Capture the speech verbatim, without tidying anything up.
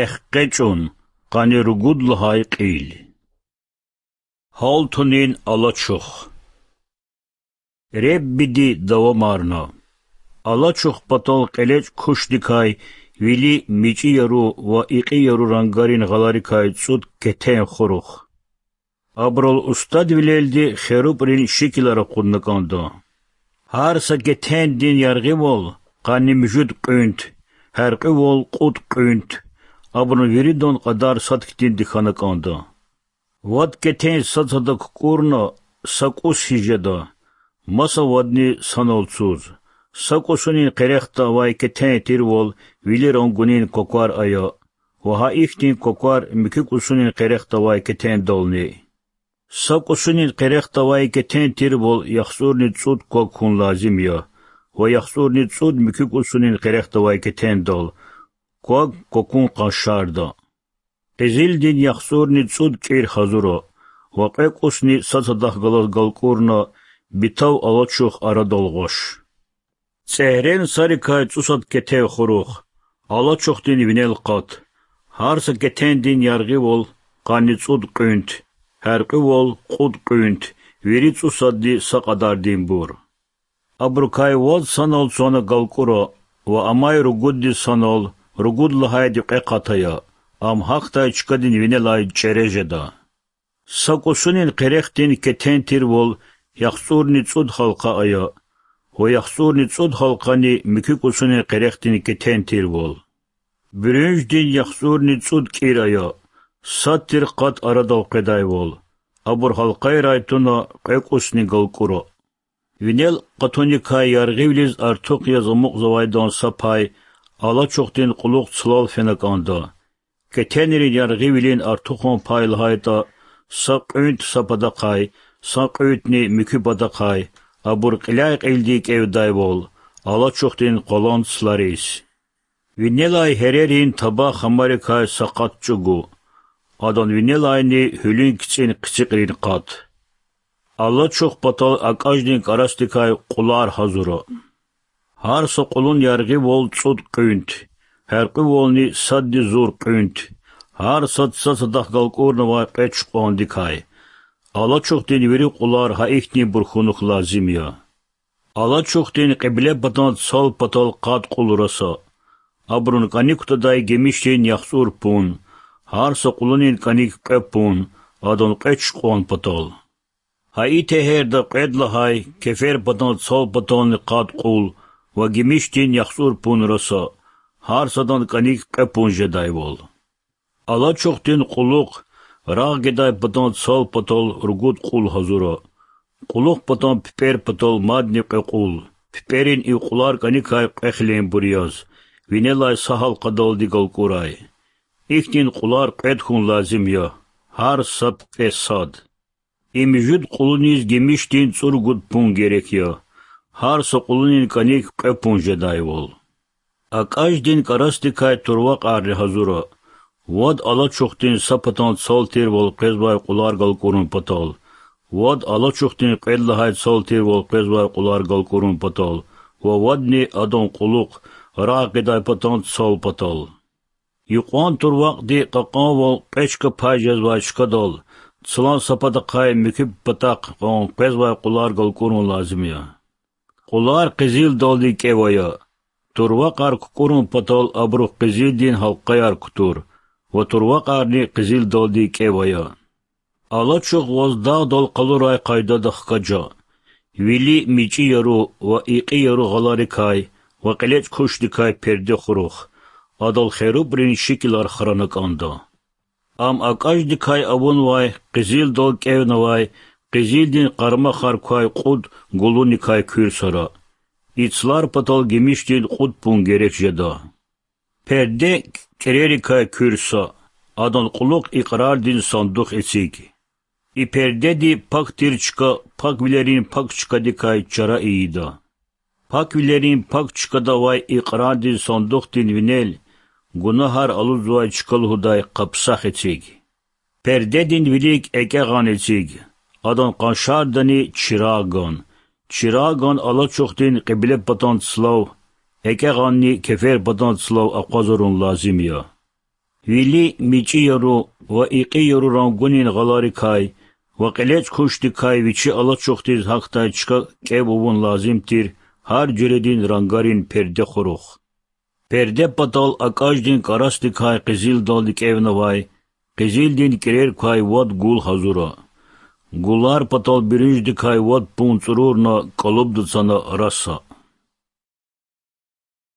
Эхкъечӏун, къанни ругуд лагьай кьил. Гьалтунин алачух. Реббиди давамарна: Алачух патал кьелечӏ кушдикай вили мичӏи яру ва икьи яру рангарин гъаларикай цӏуд кетен хурухъ. Абурал устадвилелди херубрин шикилар акъудна кӏанда. Гьар са кетендин яргъивал къанни муьжуьд кьуьнт, гьяркьуьвал кьуд кьуьнт, абурун виридан кьадар сад хьтинди хьана кӏанда. Вад кетен сад-сада кукӏурна, са кӏус хьиз жеда, маса вадни санал цуз. Са кӏусунин къерехда авай кетен тирвал вили рангунин кваквар ая, ва гьа ихьтин кваквар муькуь кӏусунин къерехда авай кетендални. Са кӏусунин къерехда авай кетен тирвал яхцӏурни цӏуд квак хьун лазим я, ва яхцӏурни цӏуд муькуь кӏусунин къерехда авай кетендал, квак квакун къаншарда. Къизилдин яхцӏурни цӏуд кӏир гьазура, ва кьве кӏусни сад-садахъ галаз галкӏурна, битав алачух арадал гъваш. Цӏегьрен сарикай цӏусад кетен хурухъ, алачухдин винел къат. Гьар са кетендин яргъивал къанни цӏуд кьуьнт, гьяркьуьвал кьуд кьуьнт, вири цӏусадни са кьадардинбур. Абурукай вад санал цана галкӏура, ва амай ругуддиз санал, ругуд лагьайди кьве къат ая, ам гьахьдай чкадин винелай чӏере жеда. Са кӏусунин къерехдин кетен тирвал яхцӏурни цӏуд гьалкъа ая, ва яхцӏурни цӏуд гьалкъани муькуь кӏусунин къерехдин кетен тирвал. Буьруьнждин яхцӏурни цӏуд кӏир ая, сад тир къат арадал къведайвал, абур гьалкъайрай туна кьве кӏусни галкӏура. Винел къатуникай яргъивилиз артух яз амукьзавайдан са пай алачухдин кьулухъ цлал фена кӏанда. Кетенрин яргъивилин артухан пай лагьайтӏа, са кьуьнт са патахъай, са кьуьнтни муькуь патахъай, абур кьиляй-кьилди кӏевдайвал, алачухдин къвалан цлариз. Винелай гьерерин таба хамарикай са къат чӏугу, адан винелайни гьуьлуьн кицӏин хъицикьрин къат. Алачух патал акӏаждин кӏарасдикай кьулар гьазура. Гьар са кьулун яргъивал цӏуд кьуьнт, гьяркьуьвални садни зур кьуьнт, гьар сад сад-садахъ галкӏурнавай кьве чукьвандикай. Алачухдин вири кьулар гьа ихьтинбур хьунухь лазим я. Алачухдин кьиблепатан цал патал къад кьул раса. Абурун кӏаник кутадай гимишдин яхцӏур пун, гьар са кьулунин кӏаник кьве пун, адан кьве чукьван патал. Гьа и тегьерда кьвед лагьай кеферпатан цал патални къад кьул ва гимишдин яхцӏур пун раса, гьар садан кӏаник кьве пун жедайвал. Алачухдин кьулухъ рагъ гидай патан цал патал ругуд кьул гьазура. Кьулухъ патан пипӏер патал мадни кьве кьул, пипӏерин и кьулар кӏаникай кьве хиленбур яз, винелай са гьалкъадалди галкӏурай. Ихьтин кьулар кьвед хьун лазим я, гьар са пипӏе сад. И муьжуьд кьулуниз гимишдин цӏуругуд пун герек я, гьар са кьулунин кӏаник кьве пун жедайвал. Акӏаждин кӏарасдикай турвакьарни гьазура: вад алачухдин са патан цал тирвал къвезвай кьулар галкӏурун патал, вад алачухдин кьвед лагьай цал тирвал къвезвай кьулар галкӏурун патал ва вадни адан кьулухъ рагъ гъидай патан цал патал. Юкьван турвакьди кьакьанвал кьве чка пай жезвай чкадал цлан са патахъай муькуь патахъ кьван къвезвай кьулар галкӏурун лазим я. Кьулар къизилдалди кӏев ая. Турвакьар кукӏурун патал абурув къизилдин гьалкъаяр кутур ва турвакьарни къизилдалди кӏев ая. Алачух ваз дагъдал къалурай къайдада хкажа. Вили мичӏи яру ва икьи яру гъаларикай ва кьелечӏ кушдикай перде хурухъ, адал херубрин шикилар храна кӏанда. Ам акӏаждикай авунвай, къизилдал кӏевнавай, къизилдин къармахар квай кьуд гулуникай куьрсара. И цлар патал гимишдин кьуд пун герек жеда. Перде кӏерерикай куьрса, адан кьулухъ икьрардин сандух эциг. И пердеди пак тир чка паквилерин пак чкадикай чара ийида. Паквилерин пак чкада авай икьрардин сандухдин винел гунагьар алудзавай чка лугьудай къапсах эциг. Пердедин вилик экӏегъан эциг, адан къаншардани чирагъган. Чирагъган алачухдин кьиблепатан цлав, экӏегъанни кеферпатан цлав акъвазарун лазим я. Вили мичӀи яру ва икьи яру рангунин гъаларикай ва кьелечӀ кушдикай вичи алачухдиз гьахьдай чка кӀев авун лазим тир гьар жуьредин рангарин перде хурухъ. Перде патал акӀаждин кӀарасдикай къизилдалди кӀевнавай, къизилдин кӀирер квай вад гул гьазура. Гулар патал буьруьнждикай вад пун цӀурурна кӀалубда цана раса.